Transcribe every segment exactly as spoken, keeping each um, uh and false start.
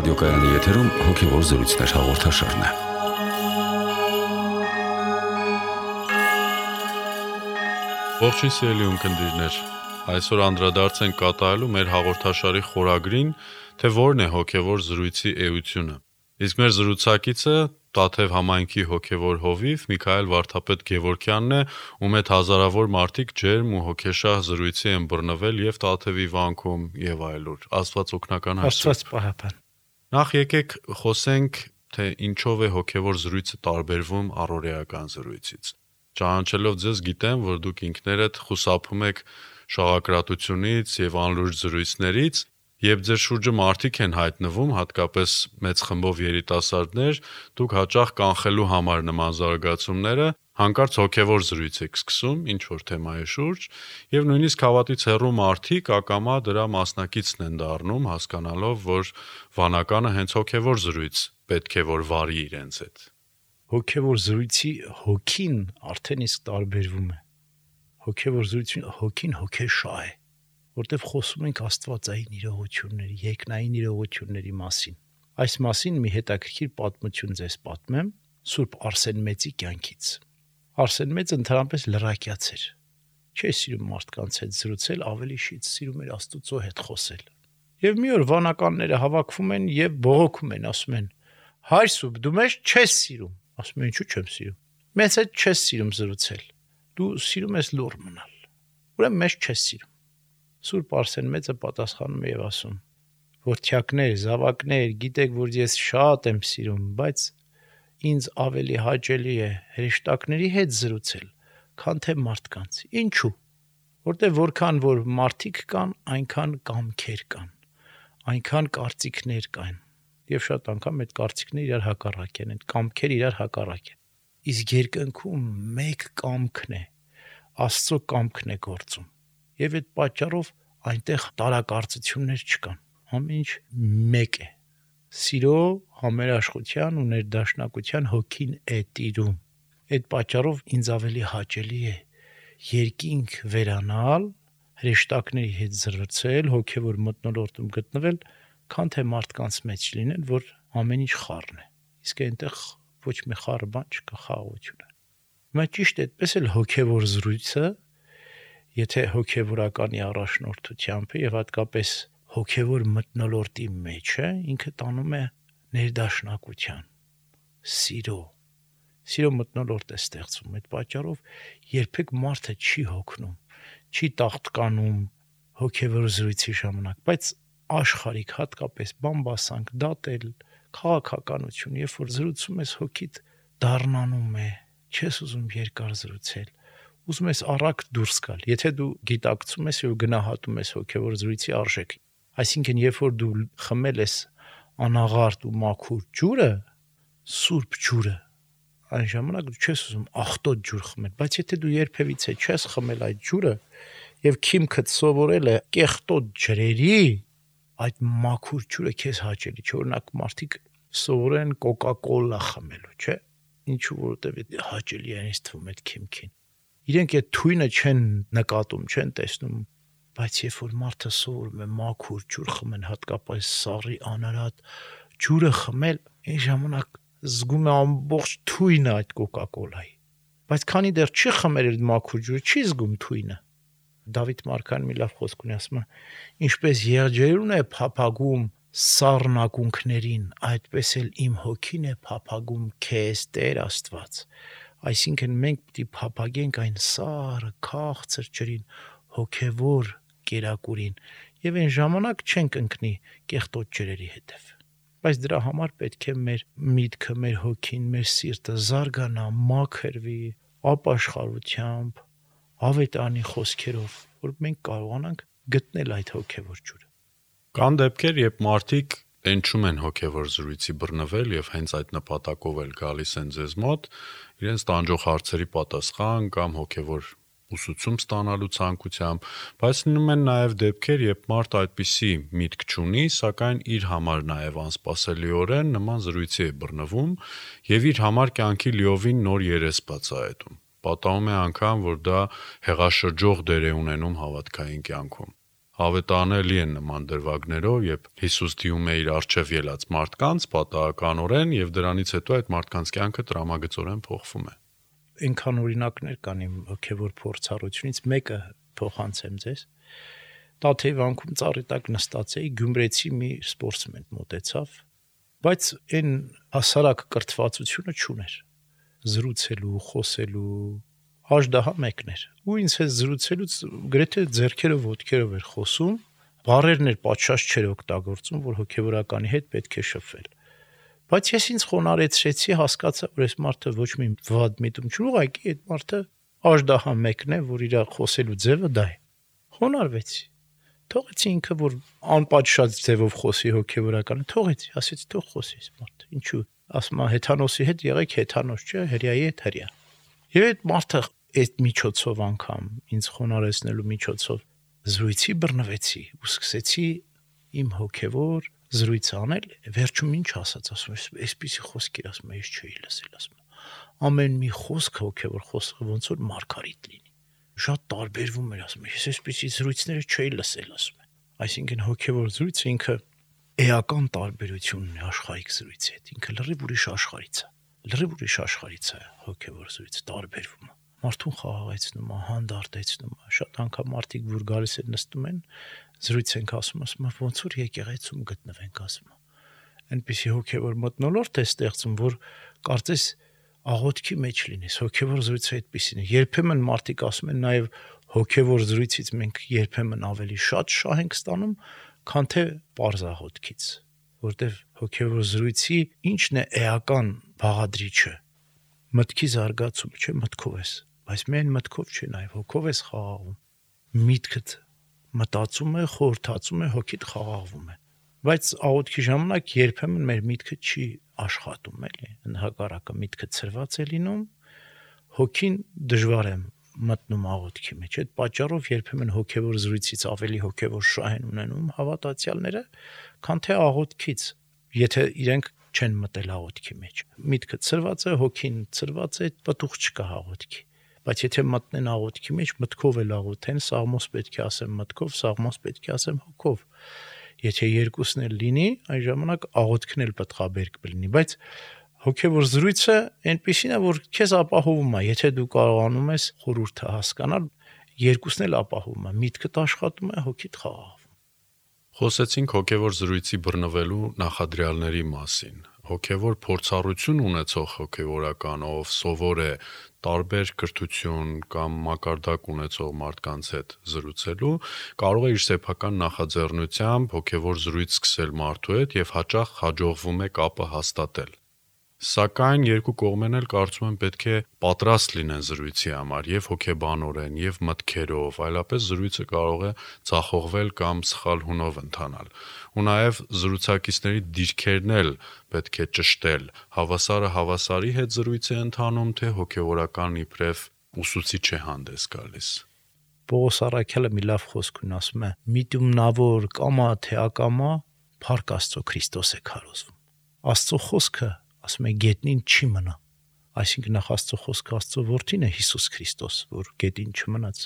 Ռադիոկայանի եթերում հոգևոր զրույցներ հաղորդաշարն է։ Ողջույն սիրելի ունկնդիրներ, այսօր անդրադարձ ենք կատարելու մեր հաղորդաշարի խորագրին, թե որն է հոգևոր զրույցի էությունը։ Իսկ մեր զրուցակիցը Տաթև համայնքի հոգևոր հովիվ Միքայել Վարդապետ Գևորգյանն է, ում հետ հազարավոր մարդիկ ջերմ ու հոգեշահ զրույցի են բռնվել եւ Տաթևի վանքում եւ այլուր։ Աստված օգնական հայրը։ Աստված պահապան։ Նախ եկեք խոսենք, թե ինչով է հոգևոր զրույցը տարբերվում առօրեական զրույցից։ Ճանաչելով ձեզ գիտեմ, որ դուք ինքներդ խուսափում եք շաղակրատությունից եւ անլուրջ զրույցներից, եւ ձեր շուրջը մարդիկ են հայտնվում, հատկապես մեծ խմբով երիտասարդներ, դուք հաճախ կանխելու համար նման զարգացումները հանկարծ հոգևոր զրույց եք սկսում ինչ որ թեմայի շուրջ, եւ նույնիսկ հավատից հեռու մարդիկ ակամա դրա մասնակիցն են դառնում, հասկանալով, որ վանականը հենց հոգևոր զրույց պետք է որ վարի իրենց հետ։ Հոգևոր զրույցի հոգին արդեն իսկ տարբերվում է։ Հոգևոր զրույցի հոգին հոգեշահ է, որտեղ խոսում ենք աստվածային իրողությունների, երկնային իրողությունների մասին։ Այս մասին մի հետաքրքիր պատմություն ձեզ պատմեմ Սուրբ Արսեն Մեծի կյանքից։ Արսեն Մեծը ընդհանրապես լրակյաց էր։ Չէ սիրում մարդկանց հետ զրուցել, ավելի շիտ սիրում էր Աստծո հետ խոսել։ Եվ մի օր վանականները հավաքվում են եւ բողոքում են, ասում են. «Հայր Սուրբ, դու մեզ չես սիրում»։ Ասում են, «Ինչու՞ չեմ սիրում»։ «Մեզ հետ չես սիրում զրուցել։ Դու սիրում ես լուռ մնալ։ Ուրեմն մեզ չես սիրում»։ Սուրբ Արսեն Մեծը պատասխանում է եւ ասում. «Որդյակներ, զավակներ, գիտեք, որ ես շատ եմ սիրում, բայց ինձ ավելի հաճելի է հրեշտակների հետ զրուցել, քան թե մարդկանց։ Ինչու՞։ Որտեղ որքան որ մարդիկ կան, այնքան կամքեր կան, այնքան կարծիքներ կան, եւ շատ անգամ այդ կարծիքները իրար հակառակ են, այդ կամքերը իրար հակառակ են։ Իսկ երկնքում մեկ կամքն է, Աստծո կամքն է գործում։ Եվ այդ պատճառով այնտեղ տարակարծություններ չկան։ Ամեն ինչ մեկ է։ Սիրո, համերաշխության ու ներդաշնակության հոգին է տիրում։ Այդ պատճառով ինձ ավելի հաճելի է երկինք վերանալ, հրեշտակների հետ զրուցել, հոգևոր մթնոլորտում գտնվել, քան թե մարդկանց մեջ լինել, որ ամեն ինչ խառն է։ Իսկ այնտեղ ոչ մի խառը բան չկա, խաղաղություն է։ Հիմա ճիշտ այդպես էլ հոգևոր զրույցը, եթե հոգևորականի առաջնորդությամբ է եւ հատկապես հոգևոր մթնոլորտի մեջ է, ինքը տանում է ներդաշնակության, սիրո, սիրո մթնոլորտ է ստեղծում։ Այդ պատճառով երբեք մարդը չի հոգնում, չի տաղտկանում հոգևոր զրույցի ժամանակ, բայց աշխարհիկ հատկապես բամբասանք, դատել, քաղաքականություն, երբ որ զրուցում ես հոգիդ դառնանում է, չես ուզում երկար զրուցել, ուզում ես առակ դուրս գալ։ Եթե դու գիտակցում ես եւ գնահատում ես հոգևոր զրույցի արժեքը, այսինքն երբ որ դու խմել ես անաղարտ ու մաքուր ջուրը, սուրբ ջուրը, այն ժամանակ դու չես ուզում աղտոտ ջուր խմել, բայց եթե դու երբևիցե չես խմել այդ ջուրը եւ քիմքդ սովորել է կեղտոտ ջրերի, այդ մաքուր ջուրը քեզ հաճելի չէ։ Օրինակ մարդիկ սովորեն կոկա-կոլա խմելու, չէ՞։ Ինչու, որովհետեւ հաճելի է ինձ թվում այդ քիմքին։ Իրենք այդ թույնը չեն նկատում, չեն տեսնում, բայց երբ որ մարդը սովորում է մաքուր ջուր խմել, հատկապես սառի անարատ ջուրը խմել, այն ժամանակ զգում է ամբողջ թույնը այդ կոկա-կոլայի։ Բայց քանի դեռ չի խմել այդ մաքուր ջուրը, չի զգում թույնը։ Դավիթ Մարգարեն մի լավ խոսք ունի, ասում է. «Ինչպես եղջերուն է փափագում սառն ակունքներին, այդպես էլ իմ հոգին է փափագում քեզ, Տեր Աստված»։ Այսինքն մենք պետք է փափագենք այն սառը, քաղցր ջրին, հոգևոր կերակուրին, եւ այն ժամանակ չենք ընկնի կեղտոտ ջրերի հետև։ Բայց դրա համար պետք է մեր միտքը, մեր հոգին, մեր սիրտը զարգանա, մաքրվի ապաշխարությամբ, ավետարանի խոսքերով, որ մենք կարողանանք գտնել այդ հոգևոր ջուրը։ Կան դեպքեր, երբ մարդիկ տենչում են հոգևոր զրույցի բռնվել եւ հենց այդ նպատակով էլ գալիս են ձեզ մոտ, իրենց տանջող հարցերի պատասխան կամ հոգևոր ուսուցում ստանալու ցանկությամբ, բայց լինում են նաև դեպքեր, երբ մարդը այդպիսի միտք չունի, սակայն իր համար նաև անսպասելիորեն նման զրույցի է բռնվում եւ իր համար կյանքի լիովին նոր երես բացահայտում։ Պատահում է անգամ, որ դա հեղաշրջող դեր է ունենում հավատքային կյանքում։ Հավետանելի են նման դրվագներով, երբ Հիսուս դիում է իր առջև ելած մարդկանց պատահականորեն եւ դրանից հետո այդ մարդկանց կյանքը տրամագծորեն փոխվում է։ Այնքան օրինակներ կան իմ հոգևոր փորձառությունից, մեկը փոխանցեմ ձեզ։ Տաթեվանքում ծառի տակ նստած էի, գյումրեցի մի սպորտսմեն մոտեցավ, բայց այն հասարակ կրթվածությունը չուներ։ Զրուցելու, խոսելու աժդահա մեկն էր։ Ու ինձ հետ զրուցելուց գրեթե ձեռքերով ոտքերով էր խոսում, բառերն էր պատշաճ չէր օգտագործում, որ հոգևորականի հետ պետք է շփվել։ Բայց ես ինձ խոնարհեցրեցի, հասկացա, որ այս մարդը ոչ մի վատ միտում չունի, ուղղակի այդ մարդը աժդահա մեկն է, որ իր խոսելու ձևը դա է։ Խոնարհվեցի։ Թողեցի ինքը, որ անպատշաճ ձևով խոսի հոգևորականը, թողեցի, ասեցի թող խոսի այս մարդը։ Ինչու՞։ Ասում է հեթանոսի հետ եղեք հեթանոս, չէ, հրյայի հետ հրյա։ Եվ այդ մարդը այդ միջոցով անգամ ինձ խոնարհեցնելու միջոցով զրույցի բռնվեցի ու սկսեցի իմ հոգևոր զրույցը անել, վերջում ինչ ասաց, ասում եմ, այսպեսի խոսքեր ասում եմ, ես չէի լսել, ասում եմ։ Ամեն մի խոսք հոգևոր խոսքը ոնց որ մարգարիտ լինի։ Շատ տարբերվում էր, ասում եմ, ես այսպեսի զրույցները չէի լսել, ասում եմ։ Այսինքն հոգևոր զրույցը ինքը էական տարբերություն ունի աշխարհիկ զրույցի հետ, ինքը լրիվ ուրիշ աշխարհից է։ Լրիվ ուրիշ աշխարհից է հոգևոր զրույցը տարբերվում է։ Մարդուն խաղաղեցնում է, հանդարտեցնում է։ Շատ անգամ մարդիկ, որ գալիս են նստում են, զրույց ենք ասում, ասում են ոնց որ եկեղեցում գտնվենք, ասում են։ Այնպեսի հոգևոր մթնոլորտ է ստեղծում, որ կարծես աղոթքի մեջ լինես, հոգևոր զրույցը այդպեսին է։ Երբեմն մարդիկ ասում են նաև հոգևոր զրույցից մենք երբեմն ավելի շատ շահ ենք ստանում, քան թե պարզ աղոթքից, որտեղ հոգևոր զրույցի ինչն է էական բաղադրիչը։ Մտքի զարգացում, չէ, մտքով ես, բայց միայն մտքով չէ, նաև հոգով ես խաղաղում։ Միտքդ մտածում է, խորհրդածում է, հոգիդ խաղաղվում է։ Բայց աղոթքի ժամանակ երբեմն մեր միտքը չի աշխատում, էլի, ընդհակառակը միտքը ցրված է լինում, հոգին դժվար է մտնում աղոթքի մեջ։ Այդ պատճառով երբեմն հոգևոր զրույցից ավելի հոգևոր շահ են ունենում հավատացյալները, քան թե աղոթքից, եթե իրենք չեն մտել աղոթքի մեջ։ Միտքը ցրված է, հոգին ցրված է, պտուղ չկա աղոթքի։ Բայց եթե մտնեն աղոթքի մեջ, մտքով էլ աղոթեն, սաղմոս պետք է ասեմ մտքով, սաղմոս պետք է ասեմ հոգով։ Եթե երկուսն էլ լինի, այն ժամանակ աղոթքն էլ պատղաբերք կլինի, բայց հոգևոր զրույցը այնպեսին է, որ քեզ ապահովում է, եթե դու կարողանում ես խորհուրդը հասկանալ, երկուսն էլ ապահովում է, միտքդ աշխատում է, հոգիդ խաղաղվում։ Խոսեցինք հոգևոր զրույցի բռնվելու նախադրյալների մասին։ Հոգևոր փորձառություն ունեցող հոգևորականով սովոր է տարբեր կրթություն կամ մակարդակ ունեցող մարդկանց հետ զրուցելու, կարող է իր սեփական նախաձեռնությամբ հոգևոր զրույց սկսել մարդու հետ եւ հաճախ հաջողվում է կապը հաստատել։ Սակայն երկու կողմերն էլ կարծում եմ պետք է պատրաստ լինեն զրույցի համար եւ հոգեբանորեն եւ մտքերով, այլապես զրույցը կարող է ցախողվել կամ սխալ հունով ընթանալ։ Ու նաեւ զրուցակիցների դիրքերն էլ պետք է ճշտել։ Հավասարը հավասարի հետ զրույց է ընթանում, թե հոգեորական իբրև ուսուցիչ է հանդես գալիս։ Պողոս Առաքյալը մի լավ խոսք ունի, ասում է. «Միտումնավոր կամա թե ակամա, Փառք Աստծո Քրիստոս է քարոզվում»։ Աստծո խոսքը, ասում է, գետնին չի մնա։ Այսինքն նախ Աստծո խոսքը Աստծո որդին է Հիսուս Քրիստոս, որ գետին չմնաց,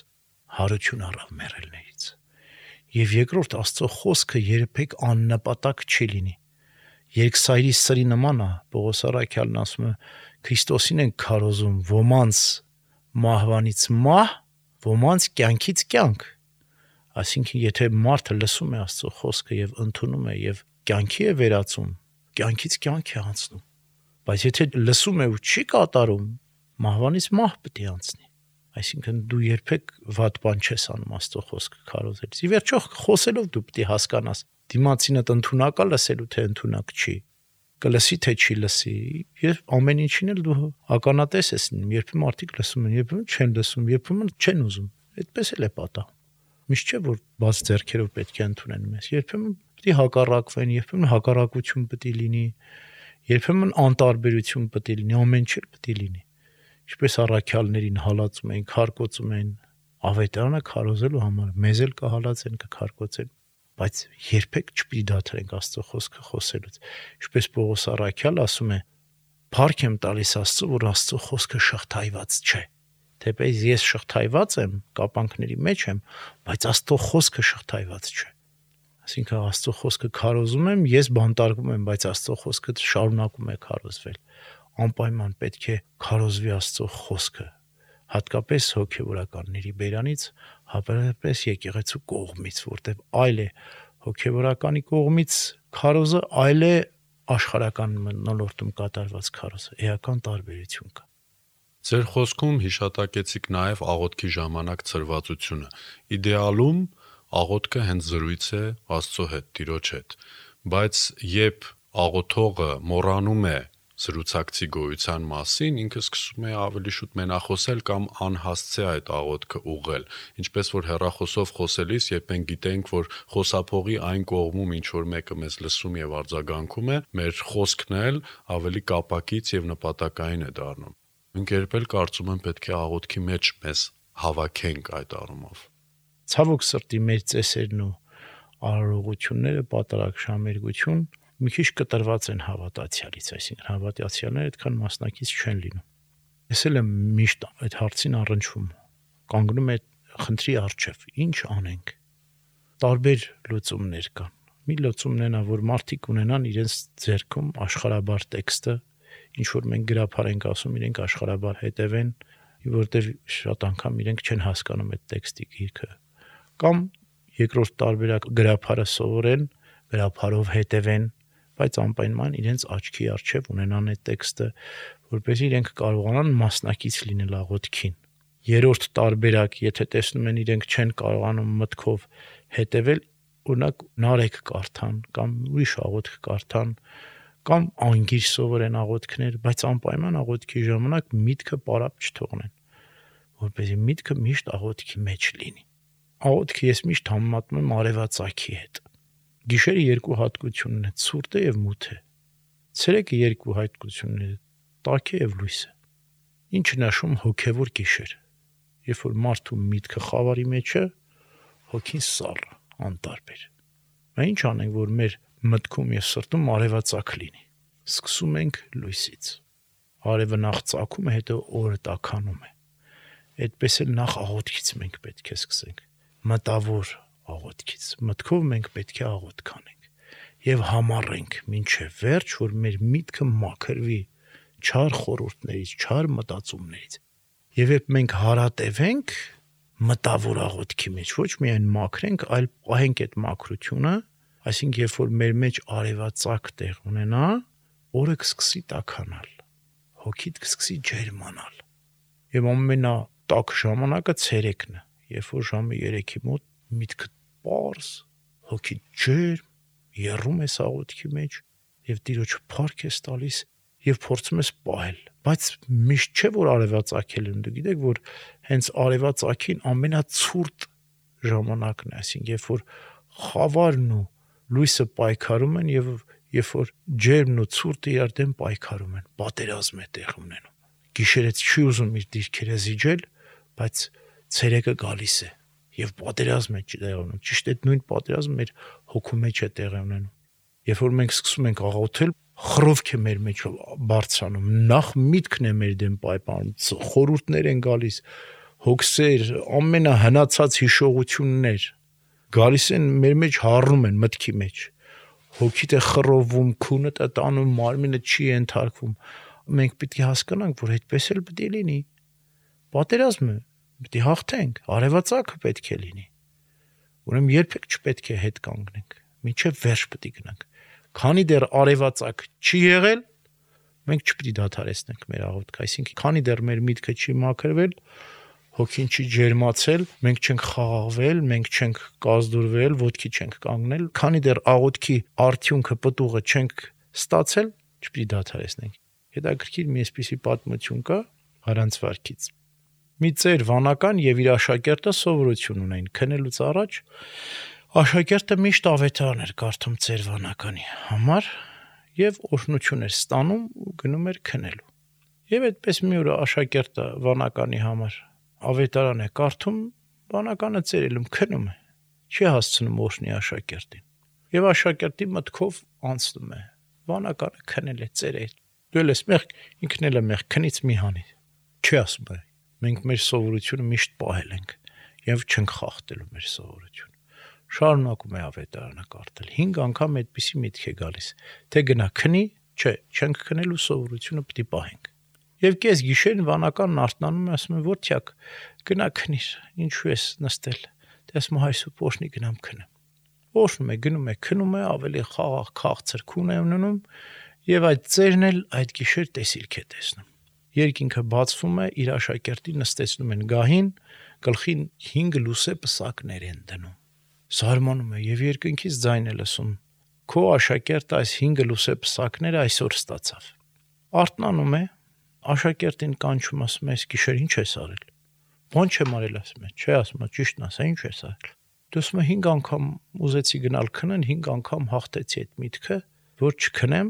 հարություն առավ մեռելներից։ Եվ երկրորդ Աստծո խոսքը երբեք աննպատակ չի լինի։ Երկսայրի սրի նման է, Պողոս Առաքյալն ասում է, Քրիստոսին են քարոզում ոմանց մահվանից մահ, ոմանց կյանքից կյանք։ Այսինքն եթե մարդը լսում է Աստծո խոսքը եւ ընդունում է եւ կյանքի է վերածում, կյանքից կյանք է անցնում։ Բայց եթե լսում է ու չի կատարում, մահվանից մահ պետք է անցնի։ Այսինքն դու երբեք վատ բան չես անում Աստծո խոսքը քարոզելիս։ Ի վերջո խոսելով դու պետք է հասկանաս դիմացինդ ընդունակ է լսելու թե ընդունակ չի, կլսի թե չի լսի, եւ ամեն ինչին էլ դու ականատես ես լինում, երբեմն մարդիկ լսում են, երբեմն չեն լսում, երբեմն չեն ուզում։ Այդպես էլ է պատահում։ Միշտ չէ որ բաց ձեռքերով պետք է ընդունեն մեզ, երբեմն պետք է հակառակվեն, երբեմն հակառակություն պետք է լինի, երբեմն անտարբերություն պետք է լինի, ամեն ինչ էլ պետք է լինի։ Ինչպես առաքյալներին հալածում են, քարկոծում են, ավետարանը քարոզելու համար, մեզ էլ կհալածեն, կքարկոծեն, բայց երբեք չպիտի դադարենք Աստծո խոսքը խոսելուց։ Ինչպես Պողոս Առաքյալը ասում է. «Փառք եմ տալիս Աստծո, որ Աստծո խոսքը շղթայված չէ»։ Թեպետ ես շղթայված եմ, կապանքների մեջ եմ, բայց Աստծո խոսքը շղթայված չէ։ Այսինքն Աստծո խոսքը քարոզում եմ, ես բանտարկվում եմ, բայց Աստծո խոսքը շարունակում է քարոզվել։ Անպայման պետք է քարոզվի Աստծո խոսքը, հատկապես հոգևորականների բերանից, հատկապես եկեղեցու կողմից, որտեղ այլ է հոգևորականի կողմից քարոզը, այլ է աշխարհական մնոլորտում կատարված քարոզը, էական տարբերություն կա։ Ձեր խոսքում հիշատակեցիք նաև աղոթքի ժամանակ ցրվածությունը։ Իդեալում աղոթքը հենց զրույց է Աստծո հետ, Տիրոջ հետ, բայց երբ աղոթողը մոռանում է զրուցակցի գոյության մասին, ինքը սկսում է ավելի շուտ մենախոսել կամ անհասցե այդ աղոթքը ուղղել, ինչպես որ հեռախոսով խոսելիս, երբ մենք գիտենք, որ խոսափողի այն կողմում ինչ որ մեկը մեզ լսում եւ արձագանքում է, մեր խոսքն էլ ավելի կապակից եւ նպատակային է դառնում։ Մենք երբ էլ կարծում եմ պետք է աղոթքի մեջ մեզ հավաքենք այդ առումով։ Ցավոք սրտի մեր ծեսերն ու արարողությունները պատարակ շամերգություն մի քիչ կտրված են հավատացյալից, այսինքն հավատացյալները այդքան մասնակից չեն լինում։ Ես էլ եմ միշտ այդ հարցին առնչվում, կանգնում է խնդրի առջև, ինչ անենք։ Տարբեր լուծումներ կան։ Մի լուծումն է նա, որ մարդիկ ունենան իրենց ձեռքում աշխարհաբար տեքստը, ինչ որ մենք գրափար ենք ասում, իրենք աշխարհաբար հետևեն, որտեղ շատ անգամ իրենք չեն հասկանում այդ տեքստի գիրքը։ Կամ երկրորդ տարբերակ գրափարը սովորեն, գրափարով հետևեն, բայց անպայման իրենց աչքի առջև ունենան այդ տեքստը, որպեսզի իրենք կարողանան մասնակից լինել աղոթքին։ Երրորդ տարբերակ, եթե տեսնում են իրենք չեն կարողանում մտքով հետևել, օրինակ նարեկ կարդան կամ ուրիշ աղոթք կարդան, կամ անգիր սովորեն աղոթքներ, բայց անպայման աղոթքի ժամանակ միտքը պարապ չթողնեն, որպեսզի միտքը միշտ աղոթքի մեջ լինի։ Աղոթքը ես միշտ համեմատում եմ արևածագի հետ։ Գիշերը երկու հատկությունն է՝ ցուրտը եւ մութը։ Ցերեկը երկու հատկությունն է՝ տաք եւ լույսը։ Ինչ նշում հոգեվոր գիշեր։ Երբ որ մարդու միտքը խավարի մեջ է, հոգին սառը, անտարբեր։ Մենք ինչ անենք, որ մեր մտքում եւ սրտում արևածագ լինի։ Սկսում ենք լույսից։ Արևը նախ ծագում է, հետո օրը տաքանում է։ Այդպես էլ նախ աղոթքից մենք պետք է սկսենք։ Մտավոր աղոթքից։ Մտքով մենք պետք է աղոթք անենք եւ համառենք մինչեւ վերջ, որ մեր միտքը մաքրվի չար խորհուրդներից, չար մտածումներից։ Եվ երբ մենք հարատևենք մտավոր աղոթքի մեջ, ոչ միայն մաքրենք, այլ պահենք այդ մաքրությունը, այսինքն երբ որ մեր մեջ արևածագ տեղ ունենա, օրը կսկսի տաքանալ, հոգիդ կսկսի ջերմանալ։ Եվ ամենատաք ժամանակը ցերեկն է, երբ որ ժամը երեքի մոտ միտքը պարզ, հոգի ջերմ, եռում ես աղոթքի մեջ եւ Տիրոջը փառք ես տալիս եւ փորձում ես պահել, բայց միշտ չէ որ արևածագել են, դու գիտեք որ հենց արևածագին ամենացուրտ ժամանակն է, այսինքն երբ որ խավարն ու լույսը պայքարում են եւ երբ որ ջերմն ու ցուրտը իրար դեմ պայքարում են, պատերազմ է տեղ ունենում։ Գիշերը չի ուզում իր դիրքերը զիջել, բայց ցերեկը գալիս է եւ պատերազմ է տեղի ունենում։ Ճիշտ այդ նույն պատերազմը մեր հոգու մեջ է տեղի ունենում։ Երբ որ մենք սկսում ենք աղոթել, խռովք է մեր մեջ բարձրանում, նախ միտքն է մեր դեմ պայպանում, խորհուրդներ են գալիս, հոգսեր, ամենահնացած հիշողություններ գալիս են մեր մեջ, հառնում են մտքի մեջ։ Հոգիդ է խռովում, քունդ է տանում, մարմինը չի ենթարկվում։ Մենք պետք է հասկանանք, որ այդպես էլ պետք է լինի։ Պատերազմը պետք է հաղթենք, արևածագը պետք է լինի։ Ուրեմն երբեք չպետք է հետ կանգնենք, մինչև վերջ պետք է գնանք։ Քանի դեռ արևածագ չի եղել, մենք չպետք է դադարեցնենք մեր աղոթքը, այսինքն քանի դեռ մեր միտքը չի մաքրվել, հոգին չի ջերմացել, մենք չենք խաղաղվել, մենք չենք կազդուրվել, ոտքի չենք կանգնել, քանի դեռ աղոթքի արդյունքը պտուղը չենք ստացել, չպետք է դադարեցնենք։ Հետաքրքիր մի այսպիսի պատմություն կա Հարանց վարքից։ Մի ծեր վանական եւ իր աշակերտը սովորություն ունեն քնելուց առաջ աշակերտը միշտ ավետարան էր կարդում ծեր վանականի համար եւ օրհնություն էր ստանում ու գնում էր քնելու։ Եվ այդպես մի օր աշակերտը վանականի համար ավետարան է կարդում, վանականը ծերելում քնում է, չի հասցնում օրհնի աշակերտին։ Եվ աշակերտի մտքով անցնում է, վանականը քնել է ծեր է։ Դու ես մեղ, ինքն էլ է մեղ, քնից մի հանի։ Չի ասում է, Մենք մեր սովորությունը միշտ պահել ենք եւ չենք խախտելու մեր սովորությունը։ Շարունակում է ավետարանը կարդալ։ հինգ անգամ այդպիսի միտք է գալիս, թե գնա քնի, չէ, չենք քնելու սովորությունը պիտի պահենք։ Եվ կես գիշերն վանականն արթնանում է, ասում է, որդյակ, գնա քնիր, ինչու ես նստել։ Դե ասում հայրսու փոշնի գնամ քնեմ։ Փոշնում է, գնում է, քնում է, ավելի խաղաղ քաղցր քուն է ունենում, եւ այդ ծերն էլ այդ գիշեր տեսիլք է տեսնում։ Երկինքը բացվում է, իր աշակերտին նստեցնում են գահին, գլխին հինգ լուսե պսակներ են դնում։ Զարմանում է եւ երկնքից ձայն է լսում. քո աշակերտը այս հինգ լուսե պսակները այսօր ստացավ։ Արթնանում է, աշակերտին կանչում, ասում է, այս գիշեր ինչ ես արել։ Ո՞նց եմ արել, ասում է, չէ, ասում է, ճիշտն ասա, ինչ ես արել։ Դասում է հինգ անգամ ուզեցի գնալ քնեն, հինգ անգամ հաղթեցի այդ միտքը, որ չքնեմ,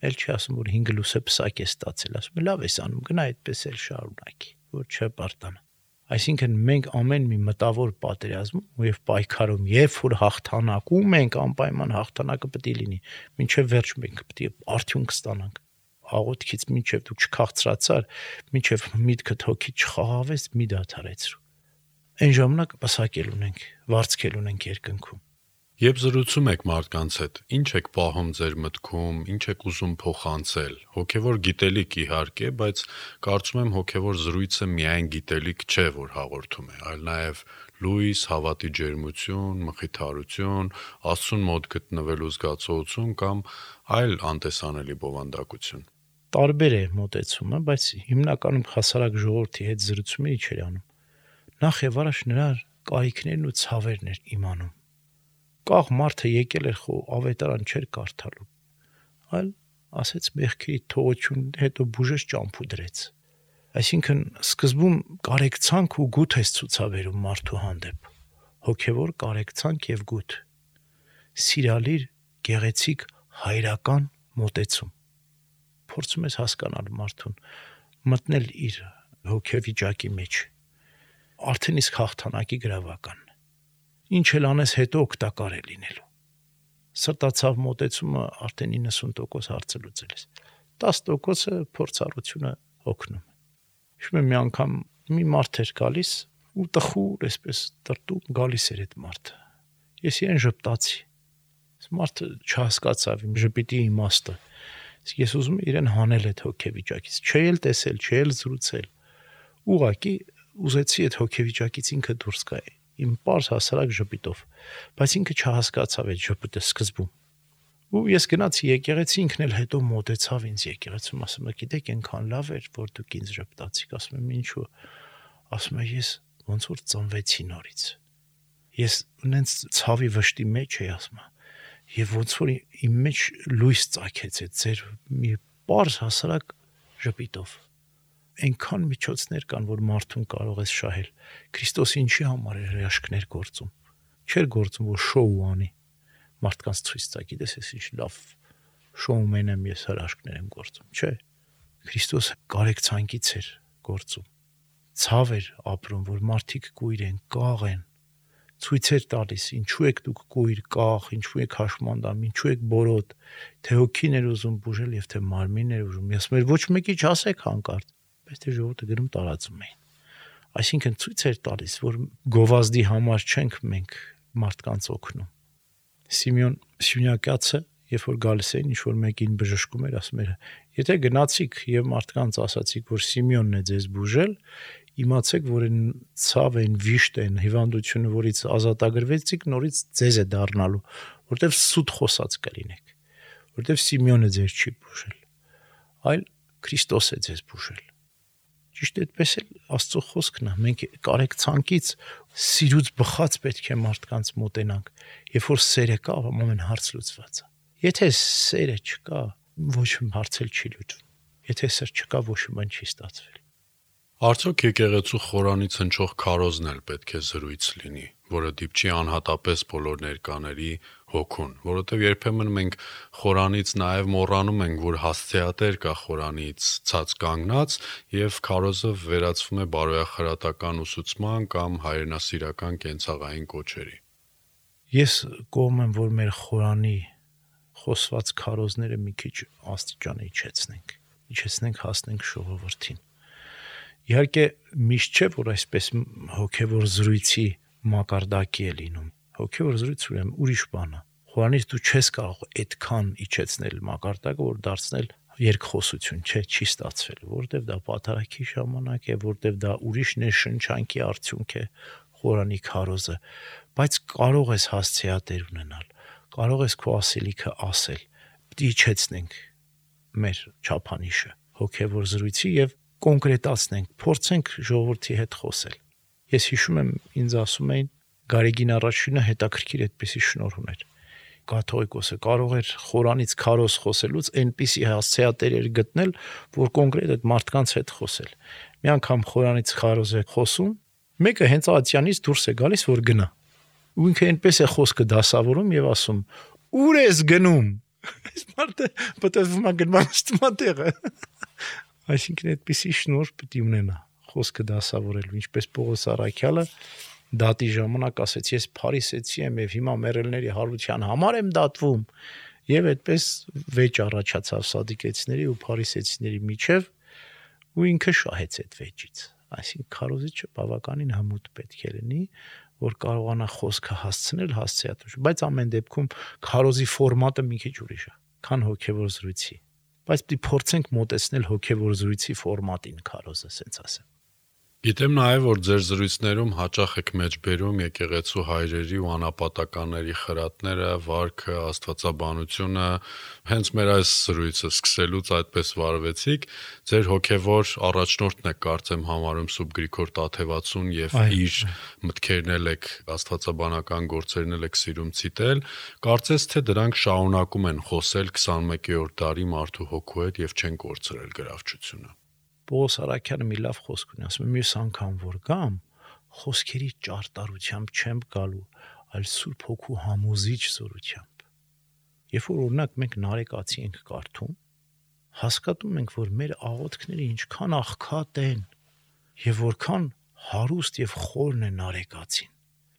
էլ չի ասում, որ հինգ լուսե պսակ է ստացել, ասում է, լավ ես անում, գնա այդպես էլ շարունակի, որ չպարտանա։ Այսինքն մենք ամեն մի մտավոր պատերազմում եւ պայքարում, երբ որ հաղթանակում ենք, անպայման հաղթանակը պետք է լինի, մինչեւ վերջ մենք պետք է արդյունք ստանանք։ Աղոթքից մինչեւ դու չքաղցրացար, մինչեւ միտքդ հոգի չխաղավես, մի դադարեցրու։ Այն ժամանակ պսակել ունենք, վարձկել ունենք երկնքում։ Երբ զրուցում եք մարդկանց հետ, ինչ եք պահում ձեր մտքում, ինչ եք ուզում փոխանցել։ Հոգևոր գիտելիք իհարկե, բայց կարծում եմ հոգևոր զրույցը միայն գիտելիք չէ, որ հաղորդում է, այլ նաև լույս, հավատի ջերմություն, մխիթարություն, Աստծուն մոտ գտնվելու զգացողություն կամ այլ անտեսանելի բովանդակություն։ Տարբեր է մոտեցումը, բայց հիմնականում հասարակ ժողովրդի հետ զրուցումը ինչ էր անում։ Նախ եւ առաջ նրա կարիքներն ու ցավերն էր իմանում։ Կաղ մարդը եկել էր խո ավետարան չէր կարդալու, այլ ասեց մեղքի թողություն, հետո բուժեց ճամփու դրեց։ Այսինքն սկզբում կարեկցանք ու գութ է ցուցաբերում մարդու հանդեպ, հոգևոր կարեկցանք եւ գութ։ Սիրալիր, գեղեցիկ, հայրական մոտեցում։ Փորձում ես հասկանալ մարդուն, մտնել իր հոգեվիճակի մեջ։ Արդեն իսկ հաղթանակի գրավական։ Ինչ էլ անես հետո օգտակար է լինելու։ Սրտացավ մոտեցումը արդեն իննսուն տոկոս հարցը լուծել ես։ տասը տոկոսը փորձառությունը օգնում է։ Հիշում եմ մի անգամ մի մարդ էր գալիս ու տխուր այսպես տրտում գալիս էր այդ մարդը։ Ես իրեն ժպտացի։ Այս մարդը չհասկացավ իմ ժպիտի իմաստը։ Իսկ ես ուզում եմ իրեն հանել այդ հոգեվիճակից, չէ էլ տեսել, չէ էլ զրուցել։ Ուղղակի ուզեցի այդ հոգեվիճակից ինքը դուրս գա իմ པարզ հասարակ ժպիտով, բայց ինքը չհասկացավ այդ ժպիտը սկզբում։ Ու ես գնացի եկեղեցի, ինքն էլ հետո մոտեցավ ինձ եկեղեցում, ասում է, գիտեք, այնքան լավ էր, որ դուք ինձ ժպտացիք, ասում եմ, ինչու։ Ասում է, ես ոնց որ ծնվեցի նորից։ Ես ունենց ցավի վշտի մեջ էի, ասում է, եւ ոնց որ իմ մեջ լույս ծագեց այդ ձեր մի པարզ հասարակ ժպիտով։ Այնքան միջոցներ կան, որ մարդուն կարող ես շահել։ Քրիստոս ինչի համար է հրաշքներ գործում։ Չէր գործում, որ շոու անի, մարդկանց ցույց տա, գիտես, ես ինչ լավ շոումեն եմ, ես հրաշքներ եմ գործում, չէ։ Քրիստոս կարեկցանքից էր գործում։ Ցավ էր ապրում, որ մարդիկ կույր են, կաղ են, ցույցեր տալիս, ինչու եք դուք կույր, կաղ, ինչու եք հաշմանդամ, ինչու եք բորոտ, թե հոգին էր ուզում բուժել եւ թե մարմինն էր ուզում։ Ես մեր ոչ մեկի չասեք հանկարծ, բայց թե ժողովուրդը գրում տարածում էին։ Այսինքն ցույց էր տալիս, որ գովազդի համար չենք մենք մարդկանց օգնում։ Սիմեոն Սյունյակացը, երբ որ գալիս էին, ինչ որ մեկին բժշկում էր, ասում էր. եթե գնացիք եւ մարդկանց ասացիք, որ Սիմեոնն է ձեզ բուժել, իմացեք, որ այն ցավ են, վիշտ են, հիվանդությունը, որից ազատագրվեցիք, նորից ձեզ է դառնալու, որտեվ սուտ խոսած կլինեք, որտեվ Սիմեոնը ձեզ չի բուժել, այլ Քրիստոս է ձեզ բուժել։ Ճիշտ այդպես էլ Աստծո խոսքն է, մենք կարեկցանքից սիրուց բխած պետք է մարդկանց մոտենանք, երբ որ սերը կա, ամեն հարց լուծված է։ Եթե սերը չկա, ոչ մի հարց էլ չի լուծվում։ Եթե սեր չկա, ոչ մի բան չի ստացվել։ Արդյոք եկեղեցու խորանից հնչող քարոզն էլ պետք է զրույց լինի, որը դիպչի անհատապես բոլոր ներկաների հոգուն, որովհետև երբեմն մենք խորանից նաև մոռանում ենք, որ հասցեատեր կա խորանից ցած կանգնած եւ քարոզը վերածվում է բարոյախրատական ուսուցման կամ հայրենասիրական կենցաղային կոչերի։ Ես կողմ եմ, որ մեր խորանի խոսված քարոզները մի քիչ աստիճան իջեցնենք, իջեցնենք հասնենք ժողովրդին։ Իհարկե միշտ չէ, որ այսպես հոգևոր զրույցի մակարդակի է լինում։ Հոգևոր զրույց ուրեմն ուրիշ բան է։ Խորանից դու չես կարող այդքան իջեցնել մակարդակը, որ դարձնել երկխոսություն, չէ, չի ստացվել, որտեվ դա պատարագի ժամանակ է, որտեվ դա ուրիշ ներշնչանքի արդյունք է Խորանի քարոզը, բայց կարող ես հասցեատեր ունենալ, կարող ես քո ասելիքը ասել, պետք է իջեցնենք մեր չափանիշը հոգևոր զրույցի եւ կոնկրետացնենք, փորձենք ժողովրդի հետ խոսել։ Ես հիշում եմ, ինձ ասում էին Գարեգին առաջինը հետաքրքիր այդպիսի շնորհ ուներ։ Կաթողիկոսը կարող էր Խորանից քարոզ խոսելուց այնպիսի հասցեատեր էր գտնել, որ կոնկրետ այդ մարդկանց հետ խոսել։ Մի անգամ Խորանից քարոզ է խոսում, մեկը հենց Ատյանից դուրս է գալիս, որ գնա։ Ու ինքը այնպես է խոսքը դասավորում եւ ասում. «Ուր ես գնում»։ Այս մարդը պատասխանում է գնման ստմատեղը։ Այսինքն այդպիսի շնորհ պետք է ունենա խոսքը դասավորելու, ինչպես Պողոս Առաքյալը դատի ժամանակ ասեց, ես փարիսեցի եմ եւ հիմա մեռելների հարության համար եմ դատվում, եւ այդպես վեճ առաջացավ սադիկեցիների ու փարիսեցիների միջև, ու ինքը շահեց այդ վեճից։ Այսինքն քարոզիչը բավականին հմուտ պետք է լինի, որ կարողանա խոսքը հասցնել հասցեատուր, բայց ամեն դեպքում քարոզի ֆորմատը մի քիչ ուրիշ է, քան հոգևոր զրույցի, բայց պիտի փորձենք մոտեցնել հոգևոր զրույցի ֆորմատին քարոզը, ասենց ասեմ։ Գիտեմ նաև, որ ձեր զրույցներում հաճախ եք մեջբերում եկեղեցու հայրերի ու անապատականների խրատները, վարքը, աստվածաբանությունը, հենց մեր այս զրույցը սկսելուց այդպես վարվեցիք, ձեր հոգևոր առաջնորդն եք կարծեմ համարում Սուրբ Գրիգոր Տաթևացուն եւ իր մտքերն էլ եք աստվածաբանական գործերն էլ եք սիրում ցիտել, կարծես թե դրանք շարունակում են խոսել քսանմեկերորդ դարի մարդու հոգու հետ եւ չեն կորցրել գրավչությունը։ Պողոս Առաքյանը մի լավ խոսք ունի, ասում է մյուս անգամ որ գամ, խոսքերի ճարտարությամբ չեմ գալու, այլ Սուրբ Հոգու համոզիչ զորությամբ։ Երբ որ օրինակ մենք Նարեկացի ենք կարդում, հասկանում ենք, որ մեր աղոթքները ինչքան աղքատ են եւ որքան հարուստ եւ խորն է Նարեկացին։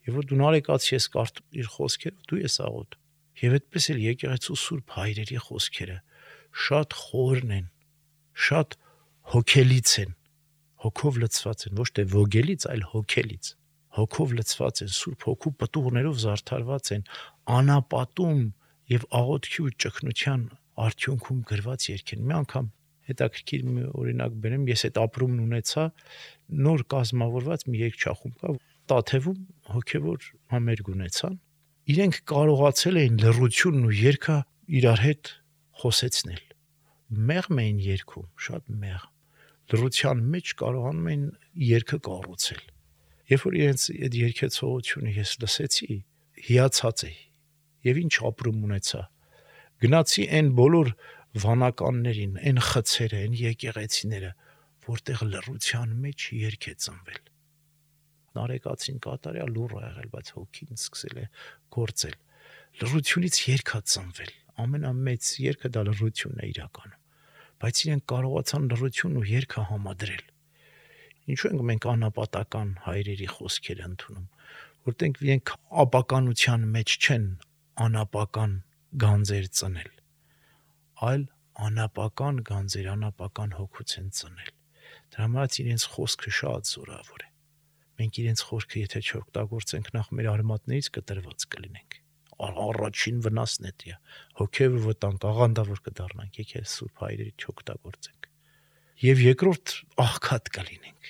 Եվ որ դու Նարեկացի ես կարդում իր խոսքերը, դու ես աղոթում։ Եվ այդպես էլ եկեղեցու Սուրբ հայրերի խոսքերը շատ խորն են, շատ հոգելից են, հոգով լցված են, ոչ թե ոգելից, այլ հոգելից, հոգով լցված են, Սուրբ Հոգու պտուղներով զարդարված են, անապատում եւ աղոթքի ու ճգնության արդյունքում գրված երգ են։ Մի անգամ հետաքրքիր մի օրինակ բերեմ, ես այդ ապրումն ունեցա, նոր կազմավորված մի երգչախումբ կա, Տաթևում հոգևոր համերգ ունեցան, իրենք կարողացել էին լռությունն ու երգը իրար հետ խոսեցնել։ Մեղմ էին երգում, շատ մեղմ։ Լռության մեջ կարողանում էին երգը կառուցել։ Երբ որ իրենց այդ երգեցողությունը ես լսեցի, հիացած էի։ Եվ ինչ ապրում ունեցա։ Գնացի այն բոլոր վանականներին, այն խցերը, այն եկեղեցիները, որտեղ լռության մեջ երգ է ծնվել։ Նարեկացին կատարյալ լուռ է եղել, բայց հոգին սկսել է գործել։ Լռությունից երգ է ծնվել։ Ամենամեծ երգը դա լռությունն է իրականում։ Բայց իրենք կարողացան լռությունն ու երգը համադրել։ Ինչու ենք մենք անապատական հայրերի խոսքերը ընդունում, որտեղ իրենք ապականության մեջ չեն անապական գանձեր ծնել, այլ անապական գանձեր, անապական հոգուց են ծնել։ Դրա համար իրենց խոսքը շատ զորավոր է։ Մենք իրենց խոսքը եթե չօգտագործենք, նախ մեր արմատներից կտրված կլինենք։ Առաջին վնասն է դա, հոգևոր վտանգ, աղանդավոր կդառնանք, եկեք Սուրբ հայրերի չօգտագործենք։ Եվ երկրորդ աղքատ կլինենք,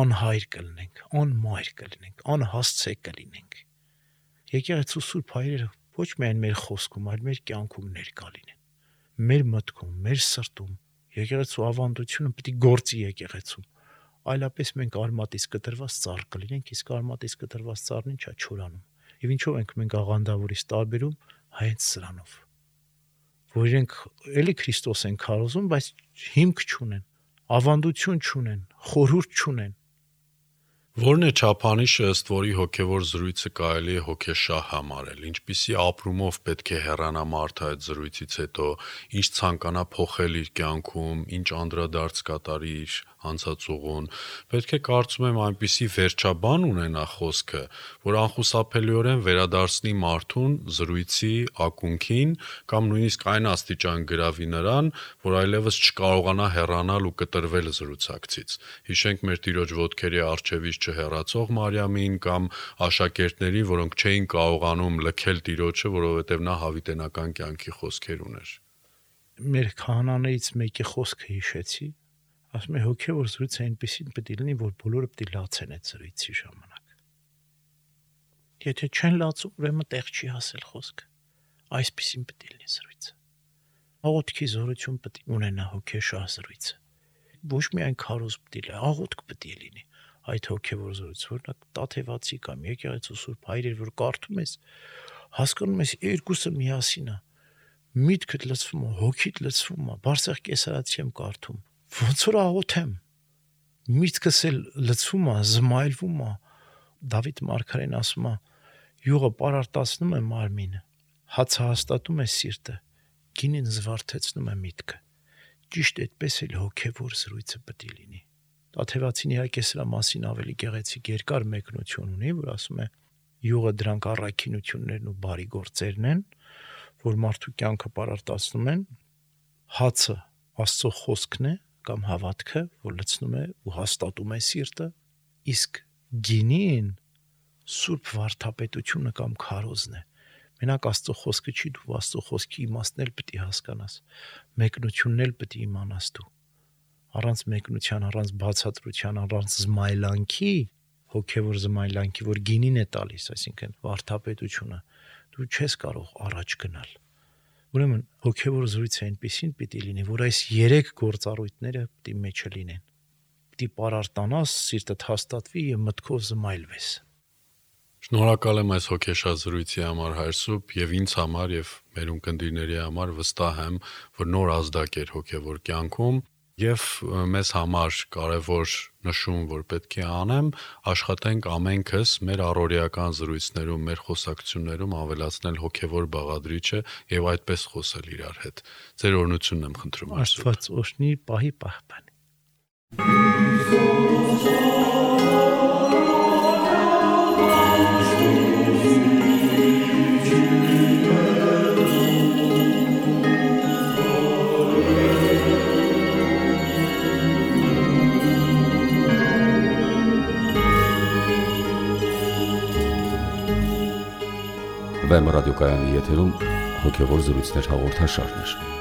անհայր կլինենք, անմայր կլինենք, անհասցե կլինենք։ Եկեղեցու Սուրբ հայրերը ոչ միայն մեր խոսքում, այլ մեր կյանքում ներկա լինեն, մեր մտքում, մեր սրտում։ Եկեղեցու ավանդությունը պետք է գործի եկեղեցում, այլապես մենք արմատից կտրված ծառ կլինենք, իսկ արմատից կտրված ծառն ինչա չորանում։ Եվ ինչով ենք մենք աղանդավորից տարբերում հենց սրանով, որ իրենք էլի Քրիստոս են քարոզում, բայց հիմք չունեն, ավանդություն չունեն, խորհուրդ չունեն, Որն է չափանիշը, ըստ որի հոգևոր զրույցը կարելի է հոգեշահ համարել, ինչպիսի ապրումով պետք է հեռանա մարդը այդ զրույցից հետո, ինչ ցանկանա փոխել իր կյանքում, ինչ անդրադարձ կատարի իր անցած ուղուն, պետք է կարծում եմ այնպիսի վերջաբան ունենա խոսքը, որ անխուսափելիորեն վերադարձնի մարդուն զրույցի ակունքին կամ նույնիսկ այն աստիճան գրավի նրան, որ այլևս չկարողանա հեռանալ ու կտրվել զրուցակցից։ Հիշենք մեր Տիրոջ ոտքերի առջևից չհեռացող Մարիամին կամ աշակերտների, որոնք չէին կարողանում լքել Տիրոջը, որովհետև նա հավիտենական կյանքի խոսքեր ուներ։ Մեր քահանաներից մեկի խոսքը հիշեցի, ասում է հոգևոր զրույցը այնպեսին պետք է լինի, որ բոլորը պետք է լացեն այդ զրույցի ժամանակ։ Եթե չեն լացում, ուրեմն տեղ չի հասել խոսքը։ Այսպեսին պետք է լինի զրույցը։ Աղոթքի զորություն պետք է ունենա հոգեշահ զրույցը։ Ոչ միայն քարոզ պետք է լինի, աղոթք պետք է լինի այդ հոգևոր զրույցը, որնակ Տաթևացի կամ եկեղեցու Սուրբ Հայրեր, որ կարդում ես, հասկանում ես երկուսը միասին է։ Միտքդ լցվում է, հոգիդ լցվում է, Բարսեղ կեսարացի եմ կարդում։ Ոնց որ աղոթեմ։ Միտքս էլ լցվում է, զմայլվում է։ Դավիթ մարգարեն ասում է. յուղը պարարտացնում է մարմինը, հացը հաստատում է սիրտը, գինին զվարթեցնում է միտքը։ Ճիշտ այդպես էլ հոգևոր զրույցը պետք է լինի։ Տաթևացին իհարկե սրա մասին ավելի գեղեցիկ երկար մեկնություն ունի, որ ասում է յուղը դրանք առաքինություններն ու բարի գործերն են, որ մարդու կյանքը պարարտացնում են, հացը Աստծո խոսքն է կամ հավատքը, որ լցնում է ու հաստատում է սիրտը, իսկ գինին Սուրբ վարդապետությունը կամ քարոզն է։ Մենակ Աստծո խոսքը չի, դու Աստծո խոսքի իմաստն էլ պետք է հասկանաս, մեկնությունն էլ պետք է իմանաս դու։ Առանց մեկնության, առանց բացատրության, առանց զմայլանքի, հոգևոր զմայլանքի, որ գինին է տալիս, այսինքն վարդապետությունը, դու չես կարող առաջ գնալ։ Ուրեմն հոգևոր զրույցը այնպեսին պիտի լինի, որ այս երեք գործառույթները պիտի մեջը լինեն։ Պիտի պարարտանաս, սիրտդ հաստատվի եւ մտքով զմայլվես։ Շնորհակալ եմ այս հոգեշահ զրույցի համար, Հայր Սուրբ, եւ ինձ համար եւ մեր ունկնդիրների համար վստահ եմ, որ նոր ազդակ էր հոգևոր կյանքում եւ մեզ համար կարեւոր նշում, որ պետք է անեմ, աշխատենք ամենքս մեր առօրեական զրույցներում, մեր խոսակցություններում ավելացնել հոգևոր բաղադրիչը եւ այդպես խոսել իրար հետ։ Ձեր օրհնությունն եմ խնդրում, Հայր Սուրբ։ Աստված օրհնի, պահի, պահպանի։ Վեմ ռադիոկայանի եթերում հոգևոր զրույցներ հաղորդաշարներ։